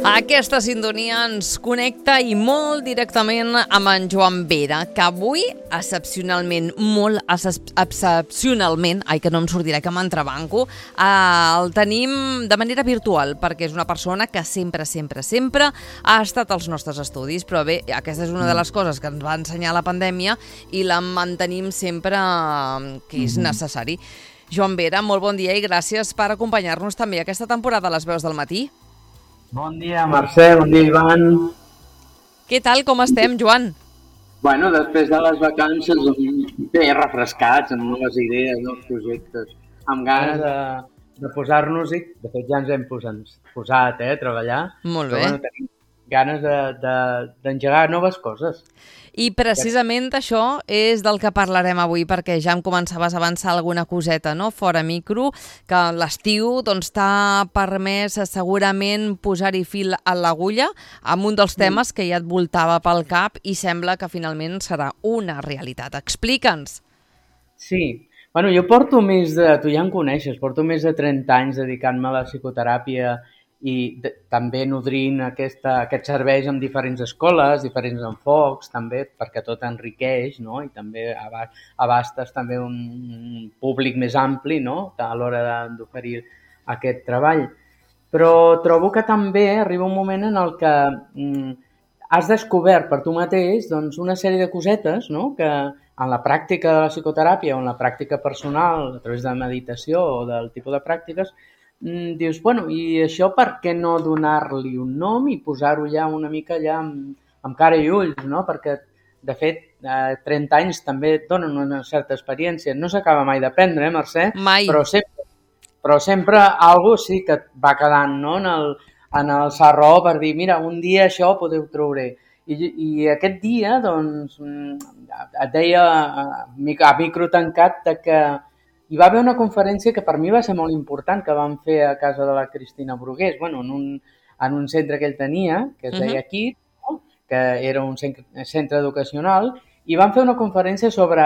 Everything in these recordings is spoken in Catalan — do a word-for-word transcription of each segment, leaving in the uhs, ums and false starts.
Aquesta sintonia ens connecta i molt directament amb en Joan Vera, que avui, excepcionalment, molt excepcionalment, ai que no em sortirà que m'entrebanco, eh, el tenim de manera virtual, perquè és una persona que sempre, sempre, sempre ha estat als nostres estudis, però bé, aquesta és una de les coses que ens va ensenyar la pandèmia i la mantenim sempre que és necessari. Joan Vera, molt bon dia i gràcies per acompanyar-nos també aquesta temporada a les veus del matí. Bon dia, Mercè, bon dia, Ivan. Què tal, com estem, Joan? Bueno, després de les vacances, bé, refrescats, amb noves idees, nous projectes, amb ganes de, de posar-nos-hi. De fet, ja ens hem posat, posat eh, a treballar. Molt bé. Però, bueno, tenim ganes d'engegar de, de, noves coses. I precisament això és del que parlarem avui, perquè ja em començaves a avançar alguna coseta, no?, fora micro, que l'estiu doncs t'ha permès segurament posar-hi fil a l'agulla amb un dels temes que ja et voltava pel cap i sembla que finalment serà una realitat. Explica'ns. Sí, bueno, jo porto més de, tu ja em coneixes, porto més de trenta anys dedicant-me a la psicoteràpia i de, també nodrint aquesta, aquests serveis en diferents escoles, diferents enfocs, també perquè tot enriqueix, no? I també abastes també un, un públic més ampli, no?, a l'hora d'oferir aquest treball. Però trobo que també arriba un moment en el que mm, has descobert per tu mateix doncs, una sèrie de cosetes, no?, que en la pràctica de la psicoteràpia o en la pràctica personal, a través de meditació o del tipus de pràctiques, dius, bueno, i això per què no donar-li un nom i posar-ho ja una mica allà amb, amb cara i ulls, no? Perquè, de fet, eh, trenta anys també et donen una certa experiència. No s'acaba mai d'aprendre, eh, Mercè? Mai. Però sempre, però sempre alguna cosa sí que et va quedant, no?, en el, en el sarró per dir, mira, un dia això podeu trobar. I, i aquest dia, doncs, et deia a micro tancat que hi va haver una conferència que per mi va ser molt important, que vam fer a casa de la Cristina Brugués, bueno, en un, en un centre que ell tenia, que es deia aquí, no?, que era un centre educacional, i vam fer una conferència sobre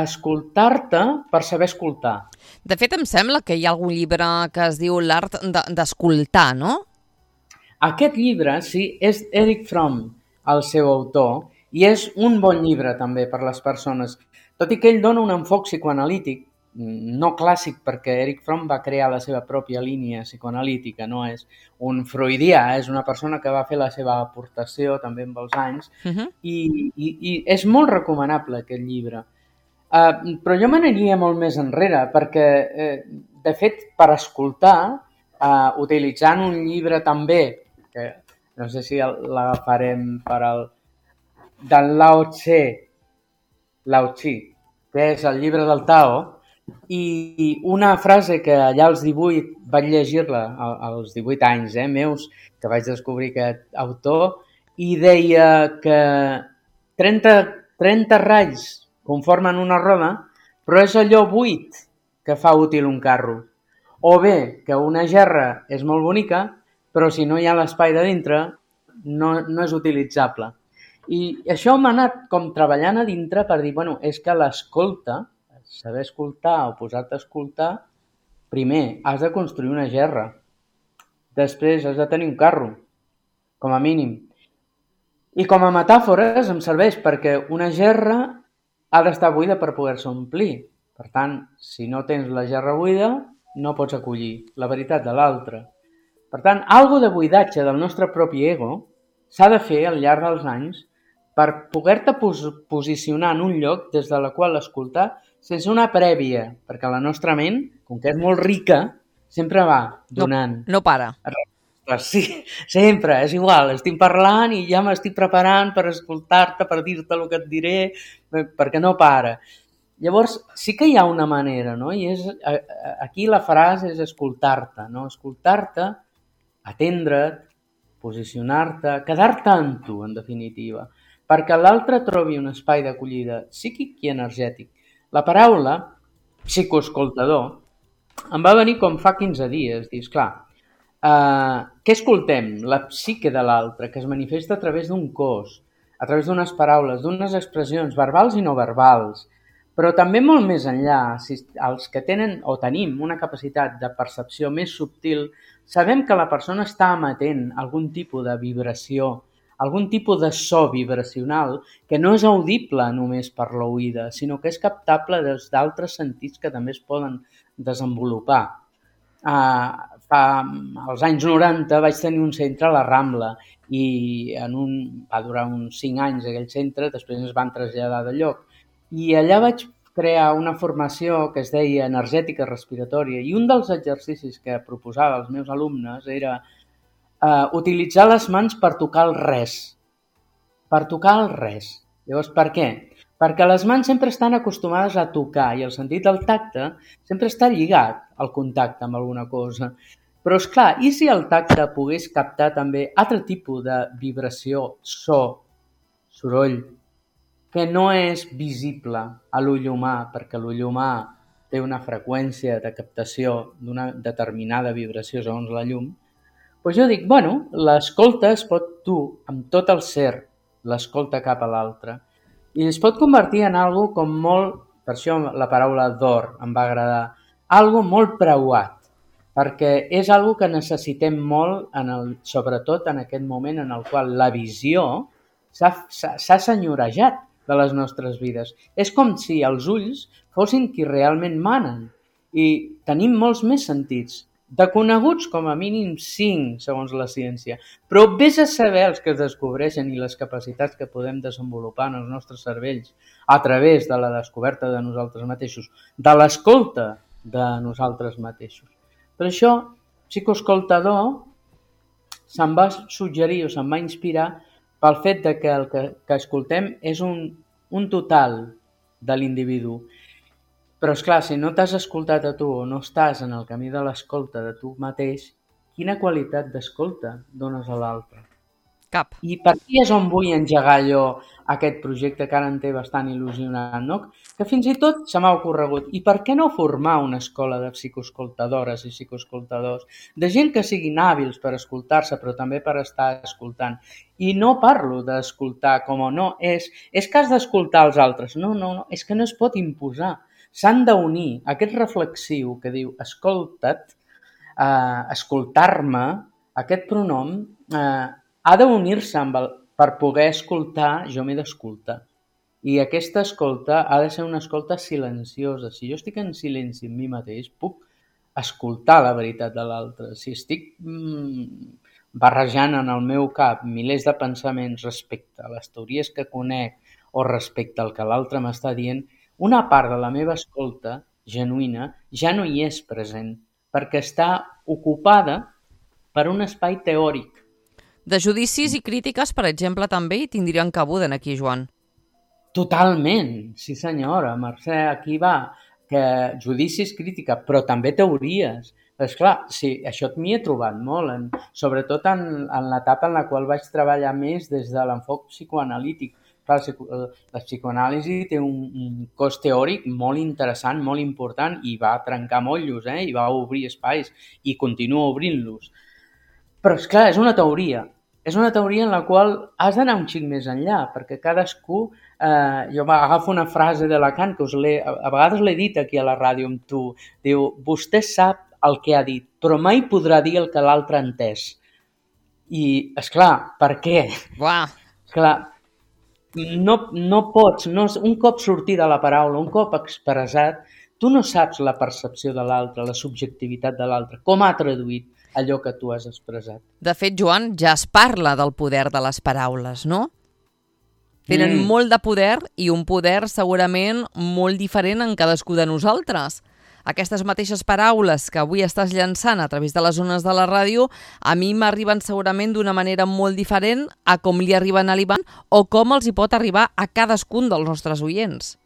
escoltar-te per saber escoltar. De fet, em sembla que hi ha algun llibre que es diu L'art d'escoltar, no? Aquest llibre, sí, és Erich Fromm, el seu autor, i és un bon llibre també per les persones, tot i que ell dona un enfoc psicoanalític, no clàssic, perquè Erich Fromm va crear la seva pròpia línia psicoanalítica, no és un freudià, és una persona que va fer la seva aportació també amb els anys, uh-huh. i, i, i és molt recomanable aquest llibre. Uh, però jo m'aniria molt més enrere, perquè, eh, de fet, per escoltar, uh, utilitzant un llibre també, que no sé si l'agafarem per al... del Lao Tse, Lao Tse, que és el llibre del Tao, i una frase que allà als divuit vaig llegir-la, als divuit anys eh, meus, que vaig descobrir aquest autor, i deia que trenta, trenta ratlls conformen una roda, però és allò buit que fa útil un carro. O bé que una gerra és molt bonica, però si no hi ha l'espai de dintre, no, no és utilitzable. I això m'ha anat com treballant a dintre per dir, bueno, és que l'escolta, saber escoltar o posar-te a escoltar, primer has de construir una gerra, després has de tenir un carro, com a mínim. I com a metàfores em serveix perquè una gerra ha d'estar buida per poder-se omplir. Per tant, si no tens la gerra buida, no pots acollir la veritat de l'altre. Per tant, algo de buidatge del nostre propi ego s'ha de fer al llarg dels anys per poder-te pos posicionar en un lloc des de la qual escoltar sense una prèvia, perquè la nostra ment, com que és molt rica, sempre va donant. No, no para. Sí, sempre, és igual, estic parlant i ja m'estic preparant per escoltar-te, per dir-te el que et diré, perquè no para. Llavors, sí que hi ha una manera, no? I és, aquí la frase és escoltar-te, no? Escoltar-te, atendre't, posicionar-te, quedar-te amb tu, en definitiva, perquè l'altre trobi un espai d'acollida psíquic i energètic. La paraula psicoescoltador em va venir com fa quinze dies, dius, clar, uh, què escoltem? La psique de l'altre, que es manifesta a través d'un cos, a través d'unes paraules, d'unes expressions verbals i no verbals, Però també molt més enllà, si els que tenen o tenim una capacitat de percepció més subtil, sabem que la persona està emetent algun tipus de vibració, algun tipus de so vibracional que no és audible només per l'oïda, sinó que és captable des d'altres sentits que també es poden desenvolupar. Uh, fa, als anys noranta vaig tenir un centre a la Rambla i en un, va durar uns cinc anys aquell centre, després ens van traslladar de lloc. I allà vaig crear una formació que es deia energètica respiratòria i un dels exercicis que proposava als meus alumnes era uh, utilitzar les mans per tocar el res. Per tocar el res. Llavors, per què? Perquè les mans sempre estan acostumades a tocar i el sentit del tacte sempre està lligat al contacte amb alguna cosa. Però, és clar, i si el tacte pogués captar també altre tipus de vibració, so, soroll, que no és visible a l'ull humà, perquè l'ull humà té una freqüència de captació d'una determinada vibració segons la llum, doncs jo dic, bueno, l'escolta es pot dur amb tot el ser, l'escolta cap a l'altre, i es pot convertir en algo com molt, per això la paraula d'or em va agradar, algo molt preuat, perquè és algo que necessitem molt, en el, sobretot en aquest moment en el qual la visió s'ha senyorejat de les nostres vides. És com si els ulls fossin qui realment manen i tenim molts més sentits, de coneguts com a mínim cinc, segons la ciència, però vés a saber els que es descobreixen i les capacitats que podem desenvolupar en els nostres cervells a través de la descoberta de nosaltres mateixos, de l'escolta de nosaltres mateixos. Per això, psicoescoltador se'm va suggerir o se'm va inspirar pel fet de que el que, que escoltem és un, un total de l'individu. Però, esclar, si no t'has escoltat a tu o no estàs en el camí de l'escolta de tu mateix, quina qualitat d'escolta dones a l'altre? Cap. I per aquí és on vull engegar jo aquest projecte que ara em té bastant il·lusionant, no? Que fins i tot se m'ha ocorregut. I per què no formar una escola de psicoescoltadores i psicoescoltadors? De gent que siguin hàbils per escoltar-se, però també per estar escoltant. I no parlo d'escoltar com o no, és, és que has d'escoltar els altres. No, no, no, és que no es pot imposar. S'han d'unir. Aquest reflexiu que diu escolta't, eh, escoltar-me, aquest pronom, eh, ha d'unir-se amb el, per poder escoltar, jo m'he d'escoltar. I aquesta escolta ha de ser una escolta silenciosa. Si jo estic en silenci amb mi mateix, puc escoltar la veritat de l'altre. Si estic mm, barrejant en el meu cap milers de pensaments respecte a les teories que conec o respecte al que l'altre m'està dient, una part de la meva escolta genuïna ja no hi és present, perquè està ocupada per un espai teòric. De judicis i crítiques, per exemple, també hi tindrien cabuda aquí, Joan. Totalment, sí senyora. Mercè, aquí va, que judicis, crítica, però també teories. És clar, sí, això m'hi he trobat molt, en, sobretot en, en l'etapa en la qual vaig treballar més des de l'enfoc psicoanalític. Clar, la psicoanàlisi té un, un cos teòric molt interessant, molt important, i va trencar motllos, eh? I va obrir espais, i continua obrint-los. Però, és clar, és una teoria. És una teoria en la qual has d'anar un xic més enllà, perquè cadascú... Eh, jo agafo una frase de Lacan, que us a vegades l'he dit aquí a la ràdio amb tu, diu, vostè sap el que ha dit, però mai podrà dir el que l'altre ha entès. I, esclar, per què? Uah. Esclar, no, no pots, no, un cop sortida la paraula, un cop expressat, tu no saps la percepció de l'altre, la subjectivitat de l'altre, com ha traduït allò que tu has expressat. De fet, Joan, ja es parla del poder de les paraules, no? Tenen mm. molt de poder i un poder segurament molt diferent en cadascú de nosaltres. Aquestes mateixes paraules que avui estàs llançant a través de les ones de la ràdio, a mi m'arriben segurament d'una manera molt diferent a com li arriben a l'Ivan o com els hi pot arribar a cadascun dels nostres oients.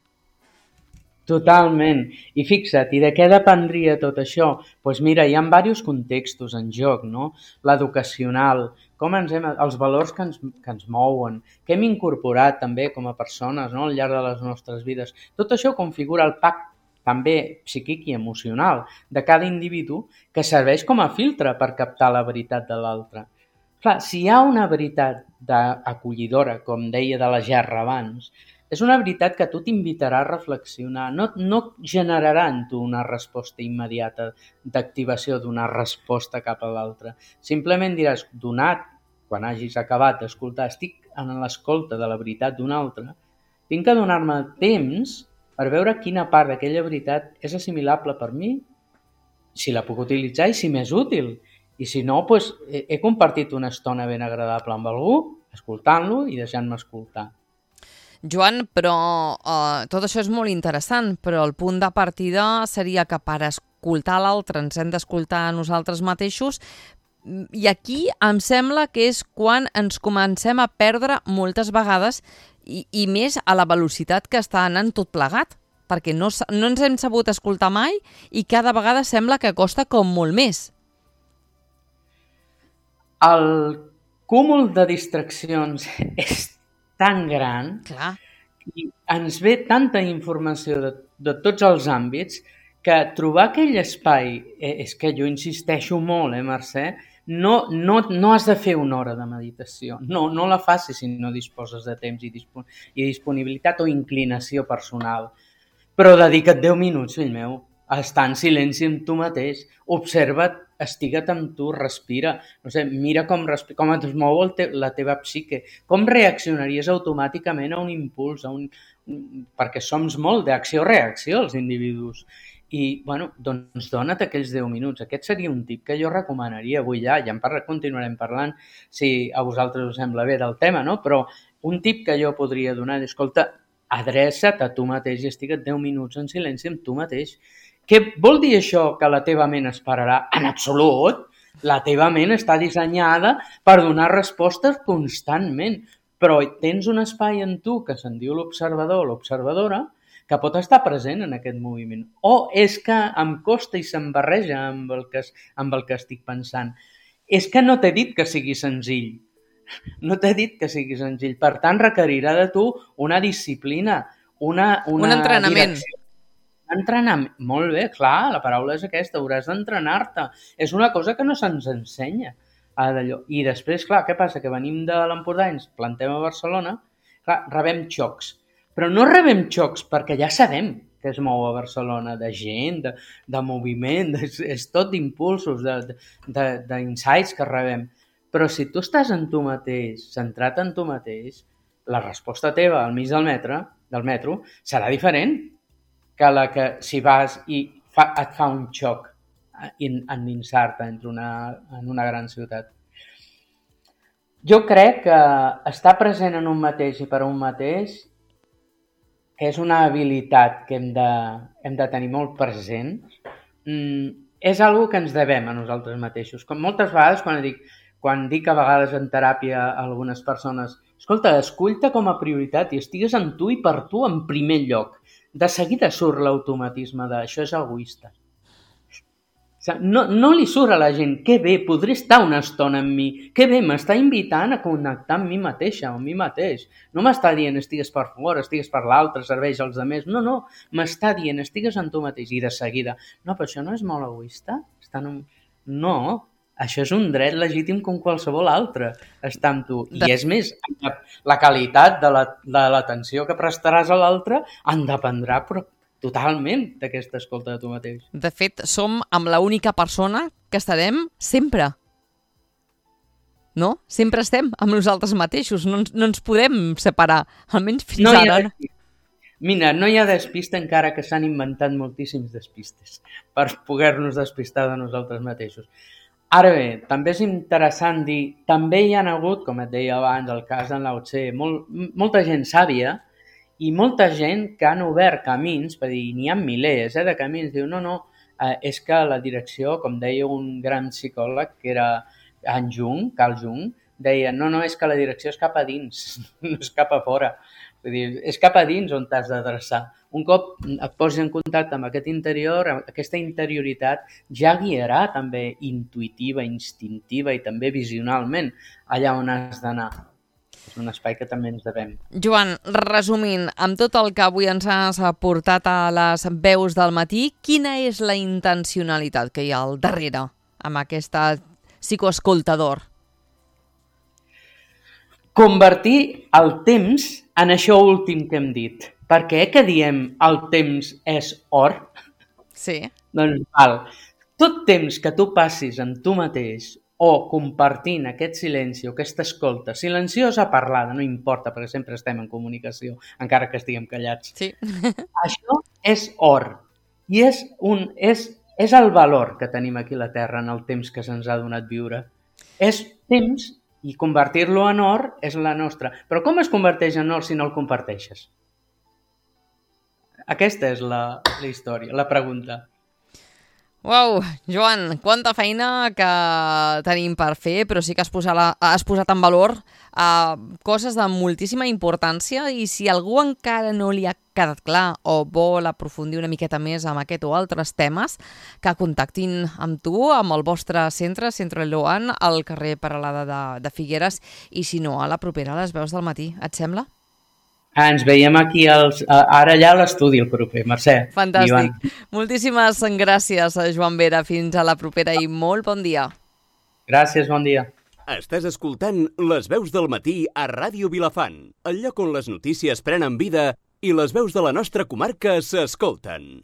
Totalment. I fixa't, i de què dependria tot això? Doncs pues mira, hi ha diversos contextos en joc, no? L'educacional, com ens hem, els valors que ens, que ens mouen, que hem incorporat també com a persones, no? Al llarg de les nostres vides. Tot això configura el pacte també psíquic i emocional de cada individu que serveix com a filtre per captar la veritat de l'altre. Clar, si hi ha una veritat acollidora, com deia de la Gerra abans, és una veritat que a tu t'invitarà a reflexionar, no, no generarà en tu una resposta immediata d'activació d'una resposta cap a l'altra. Simplement diràs, donat, quan hagis acabat d'escoltar, estic en l'escolta de la veritat d'un altre, tinc que donar-me temps per veure quina part d'aquella veritat és assimilable per mi, si la puc utilitzar i si m'és útil. I si no, doncs, he, he compartit una estona ben agradable amb algú, escoltant-lo i deixant-me escoltar. Joan, però uh, tot això és molt interessant, però el punt de partida seria que per escoltar l'altre ens hem d'escoltar a nosaltres mateixos, i aquí em sembla que és quan ens comencem a perdre moltes vegades i, i més a la velocitat que està anant tot plegat, perquè no, no ens hem sabut escoltar mai i cada vegada sembla que costa com molt més. El cúmul de distraccions és tan gran, clar, i ens ve tanta informació de, de tots els àmbits que trobar aquell espai, eh, és que jo insisteixo molt, eh, Mercè, no, no, no has de fer una hora de meditació, no, no la facis si no disposes de temps i, dispon i disponibilitat o inclinació personal, però dedica't deu minuts, fill meu, a estar en silenci amb tu mateix, observa't, estigua't amb tu, respira, no sé, mira com, respira, com et mou el te la teva psique, com reaccionaries automàticament a un impuls, a un, perquè som molt d'acció-reacció els individus. I, bueno, doncs dona't aquells deu minuts. Aquest seria un tip que jo recomanaria avui ja, ja en parla, continuarem parlant, si a vosaltres us sembla bé del tema, no? Però un tip que jo podria donar és, escolta, adreça't a tu mateix i estigua't deu minuts en silenci amb tu mateix. Què vol dir això que la teva ment esperarà? En absolut! La teva ment està dissenyada per donar respostes constantment, però tens un espai en tu que se'n diu l'observador o l'observadora que pot estar present en aquest moviment. O és que em costa i se'm barreja amb el que, amb el que estic pensant. És que no t'he dit que sigui senzill. No t'he dit que sigui senzill. Per tant, requerirà de tu una disciplina, una, una un entrenament. Direcció. Entrenament. Molt bé, clar, la paraula és aquesta, hauràs d'entrenar-te. És una cosa que no se'ns ensenya. I després, clar, què passa? Que venim de l'Empordà i ens plantem a Barcelona, clar, rebem xocs. Però no rebem xocs perquè ja sabem que es mou a Barcelona, de gent, de, de moviment, de, és tot d'impulsos, d'insights que rebem. Però si tu estàs en tu mateix, centrat en tu mateix, la resposta teva al mig del metro, del metro serà diferent que la que si vas i fa, et fa un xoc endinsar-te en una gran ciutat. Jo crec que estar present en un mateix i per un mateix que és una habilitat que hem de, hem de tenir molt present, mm, és una que ens devem a nosaltres mateixos. Com moltes vegades, quan dic, quan dic a vegades en teràpia a algunes persones, escolta, escull-te com a prioritat i estigues en tu i per tu en primer lloc. De seguida surt l'automatisme de això és egoista. No, no li surt a la gent, que bé, podré estar una estona amb mi, que bé, m'està invitant a connectar amb mi mateixa, amb mi mateix. No m'està dient estigues per fora, estigues per l'altre, serveix als altres. No, no, m'està dient estigues en tu mateix i de seguida. No, però això no és molt egoista? Estar en un... No, això és un dret legítim com qualsevol altre, estar amb tu. I és més, la qualitat de l'atenció que prestaràs a l'altre en dependrà però totalment d'aquesta escolta de tu mateix. De fet, som amb l'única persona que estarem sempre. No? Sempre estem amb nosaltres mateixos. No ens, no ens podem separar, almenys fins no ara. Mira, no hi ha despista encara que s'han inventat moltíssims despistes per poder-nos despistar de nosaltres mateixos. Ara bé, també és interessant dir, també hi ha hagut, com et deia abans, el cas d'en Lao Tse, molt, molta gent sàvia i molta gent que han obert camins, per dir, n'hi ha milers eh, de camins, diu, no, no, eh, és que la direcció, com deia un gran psicòleg, que era en Jung, Carl Jung, deia, no, no, és que la direcció és cap a dins, no és cap a fora. Vull dir, és cap a dins on t'has d'adreçar. Un cop et posis en contacte amb aquest interior, aquesta interioritat ja guiarà també intuïtiva, instintiva i també visionalment allà on has d'anar. És un espai que també ens devem. Joan, resumint, amb tot el que avui ens has aportat a les veus del matí, quina és la intencionalitat que hi ha al darrere amb aquesta psicoescoltador? convertir el temps en això últim que hem dit. Per què que diem el temps és or? Sí. Doncs val. Tot temps que tu passis amb tu mateix o compartint aquest silenci o aquesta escolta silenciosa parlada, no importa, perquè sempre estem en comunicació, encara que estiguem callats. Sí. Això és or. I és, un, és, és el valor que tenim aquí a la Terra en el temps que se'ns ha donat viure. És temps i convertir-lo en or és la nostra. Però com es converteix en or si no el comparteixes? Aquesta és la, la història, la pregunta. Uau, Joan, quanta feina que tenim per fer, però sí que has posat, la, has posat en valor uh, coses de moltíssima importància i si algú encara no li ha quedat clar o vol aprofundir una miqueta més amb aquest o altres temes, que contactin amb tu, amb el vostre centre, Centre Loan, al carrer Peralada de, de Figueres i si no, a la propera a les veus del matí. Et sembla? Ah, ens veiem aquí als, ara allà a l'estudi el proper, Mercè. Fantàstic. Ivan. Moltíssimes gràcies, Joan Vera. Fins a la propera i molt bon dia. Gràcies, bon dia. Estàs escoltant Les veus del matí a Ràdio Vilafant, el lloc on les notícies prenen vida i les veus de la nostra comarca s'escolten.